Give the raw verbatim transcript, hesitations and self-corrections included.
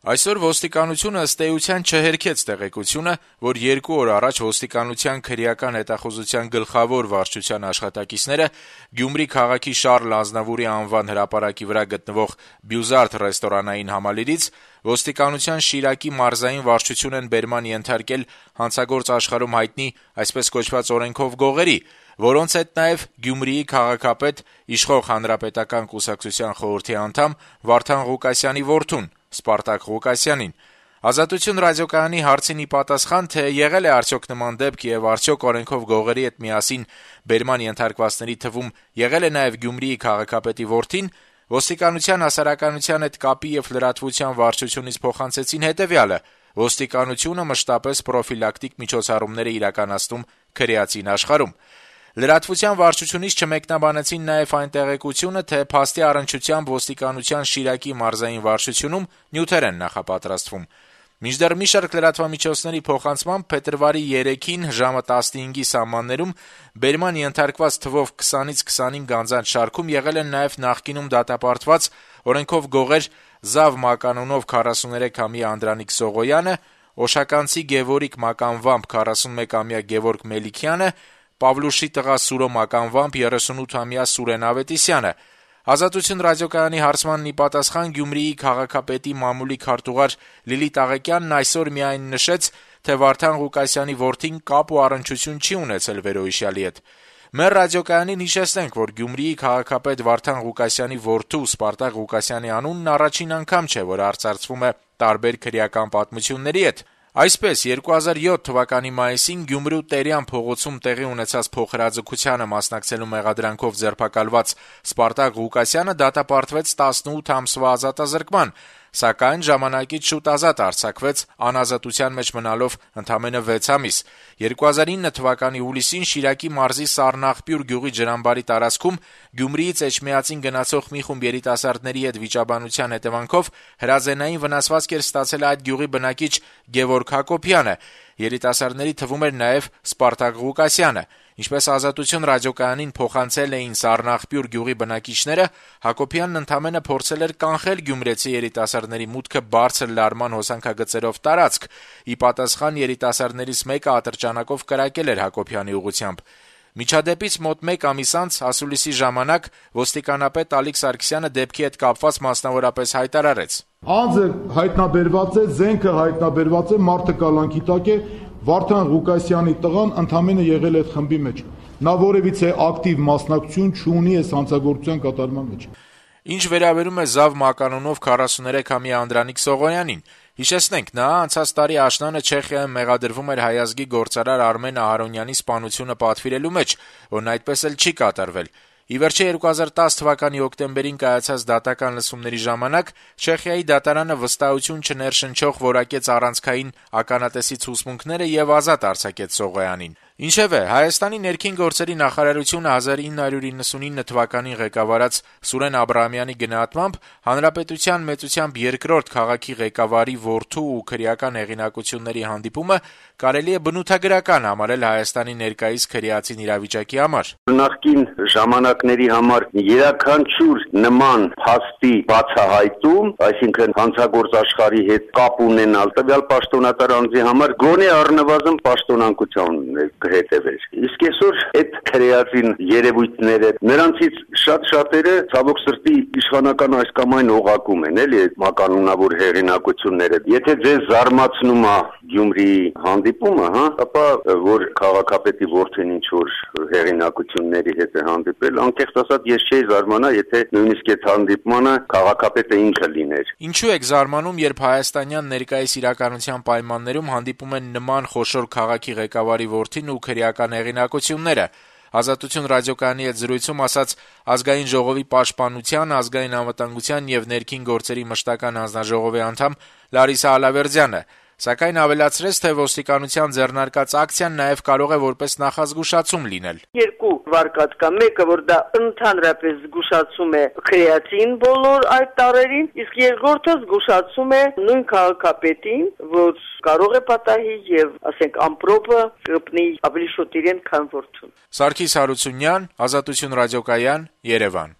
Այսօր ոստիկանությունը ըստ էության չհերքեց տեղեկությունը, որ երկու օր առաջ ոստիկանության քրեական հետախուզության գլխավոր վարչության աշխատակիցները Գյումրի քաղաքի Շառլ Ազնավուրի անվան հրապարակի վրա գտնվող Բյուզարդ ռեստորանային համալիրից ոստիկանության Շիրակի մարզային վարչություն են բերման ենթարկել հանցագործ աշխարհում հայտնի այսպես կոչված օրենքով գողերի, որոնց հետ նաև Գյումրիի քաղաքապետ, իշխող Հանրապետական կուսակցության խորհրդի անդամ Վարդան Ղուկասյանի որդուն Սպարտակ Ղուկասյանին։ Ազատություն ռադիոկայանի հարցին ի պատասխան, թե եղել է արդյոք նման դեպք եւ արդյոք օրենքով գողերի հետ միասին բերման ենթարկվածների թվում եղել է նաեւ Գյումրիի քաղաքապետի որդին, ոստիկանության հասարակայնության հետ կապի եւ լրատվության վարչությունից փոխանցեցին հետեւյալը. ոստիկանությունը մշտապես պրոֆիլակտիկ միջոցառումներ է իրականացնում քրեացին աշխարհում։ Լրատվության վարչությունից չմեկնաբանեցին նաև այն տեղեկությունը, թե փաստի առնչությամբ ոստիկանության Շիրակի մարզային վարչությունում նյութեր են նախապատրաստվում։ Մինչդեռ մի շարք լրատվամիջոցների փոխանցմամբ փետրվարի երեքին ժամը տասնհինգի սահմաններում բերման ենթարկված թվով քսանից քսանհինգ անձանց շարքում եղել են նաև նախկինում դատապարտված օրենքով գողեր Զավ մականունով քառասուներեքամյա Անդրանիկ Սողոյանը, Օշականցի Գևորգ մականվամբ քառասունմեկամյա Գևորգ Մելիքյանը, Պավլուշի տղա Սուրո մականվամբ երեսունութամյա Սուրեն Ավետիսյանը։ Ազատություն ռադիոկայանի հարցմանն ի պատասխան Գյումրիի քաղաքապետի մամուլի քարտուղար Լիլիթ Աղեկյանն այսօր միայն նշեց, թե Վարդան Ղուկասյանի որդին կապ ու առնչություն չի ունեցել վերոհիշյալի հետ։ Մեր ռադիոկայանին հիշեցնենք, որ Գյումրիի քաղաքապետ Վարդան Ղուկասյանի որդու Սպարտակ Ղուկասյանի անունն առաջին անգամ չէ, որ արծարծվում է տարբեր քրեական պատմությունների հետ։ Այսպես, երկու հազար յոթ թվականի մայիսին Գյումրու Տերյան փողոցում տեղի ունեցած փոխհրաձգությանը մասնակցելու մեղադրանքով ձերբակալված Սպարտակ Ղուկասյանը դատապարտվեց տասնութ ամսվա ազատազրկման, սակայն ժամանակից շուտ ազատ արձակվեց, անազատության մեջ մնալով ընդամենը վեց ամիս։ երկու հազար ինը թվականի հուլիսին Շիրակի մարզի Սառնաղբյուր գյուղի ջրամբարի տարածքում Գյումրիից Էջմիածին գնացող մի խումբ երիտասարդների հետ վիճաբանության հետևանքով հրաձենային վնասվածք էր ստացել այդ գյուղի բնակիչ Գևորգ Հակոբյանը։ Երիտասարդների թվում էր նաև Սպարտակ Ղուկասյանը։ Ինչպես Ազատություն ռադիոկայանին փոխանցել էին Սառնաղբյուր գյուղի բնակիչները, Հակոբյանն ընդամենը փորձել էր կանխել գյումրեցի երիտասարդների մուտքը բարձր լարման հոսանքագծերով տարածք։ Ի պատասխան երիտասարդներից մեկը ատրճանակով կրակել էր Հակոբյանի ուղղությամբ։ Միջադեպից մոտ մեկ ամիս անց ասուլիսի ժամանակ ոստիկանապետ Ալիկ Սարգսյանը դեպքի հետ կապված մասնավորապես հայտարարեց. Անձը հայտնաբերված է, զենքը հայտնաբերված է, մարդը կալանքի տակ է, Վարդան Ղուկասյանի տղան ընդամենը եղել է այդ խմբի մեջ։ Նա որևիցե ակտիվ մասնակցություն չունի այս հանցագործության կատարման մեջ։ Ինչ վերաբերում է Զավ մականունով քառասուներեքամյա Անդրանիկ Սողոյանին, հիշեցնենք, նա անցած տարի աշնանը Չեխիայում մեղադրվում էր հայազգի գործարար Արմեն Ահարոնյանի սպանությունը պատվիրելու մեջ, որն այդպես էլ չի կատարվել։ Ի վերջո երկու հազար տասը թվականի հոկտեմբերին կայացած դատական լսումների ժամանակ Չեխիայի դատարանը վստահություն չներշնչող որակեց առանցքային ականատեսի ցուցմունքները եւ ազատ արձակեց Սողոյանին։ Ինչևէ, Հայաստանի ներքին գործերի նախարարությունը հազար ինը հարյուր իննսունինը թվականին ղեկավարած Սուրեն Աբրահամյանի գնահատմամբ հանրապետության մեծությամբ երկրորդ քաղաքի ղեկավարի որդու ու քրեական հեղինակությունների հանդիպումը կարելի է բնութագրական համարել Հայաստանի ներկայիս քրեացին իրավիճակի համար։ Նախկին ժամանակների համար յուրաքանչյուր նման փաստի բացահայտում, այսինքն հանցագործ աշխարհի հետ կապ ունենալ տվյալ պաշտոնատար անձի համար գոնե առնվազն պաշտոնանկության հետևեր։ Իսկ այսօր այդ քրեացին երևույթները նրանցից շատ շատերը ցավոք սրտի իշխանական այս կամ այն օղակում են, էլի այդ մականունավոր հեղինակությունները։ Եթե ձեզ զարմացնում է Գյումրիի հանդիպումը, հա, ապա որ քաղաքապետի որդին ինչ որ հեղինակությունների հետ է հանդիպել, անկեղծ ասած ես չէի զարմանա, եթե նույնիսկ այդ հանդիպմանը քաղաքապետը ինքը լիներ։ Ինչու եք զարմանում, երբ հայաստանյան ներկայիս իրականության պայմաններում հանդիպում են նման խոշոր քաղաքի ղեկավարի որդին ու քրեական հեղինակությունները։ Ազատություն ռադիոկայանի հետ զրույցում ասաց Ազգային ժողովի պաշտպանության, ազգային անվտանգության եւ ներքին գործերի մշտական հանձնաժողովի անդամ Լարիսա Ալավերդյանը, սակայն ավելացրեց, թե ոստիկանության ձեռնարկած ակցիան նաև կարող է որպես նախազգուշացում լինել։ Երկու վարկած կա, մեկը որ դա ընդհանրապես զգուշացում է քրեացին բոլոր այդ տարերին, իսկ երկրորդը զգուշացում է նույն քաղաքապետին, որ կարող է պատահի եւ, ասենք, ամպրոպը կպնի ավելի շուտ իրեն, քան որդուն։ Սարգիս Հարությունյան, Ազատություն ռադիոկայան, Երևան։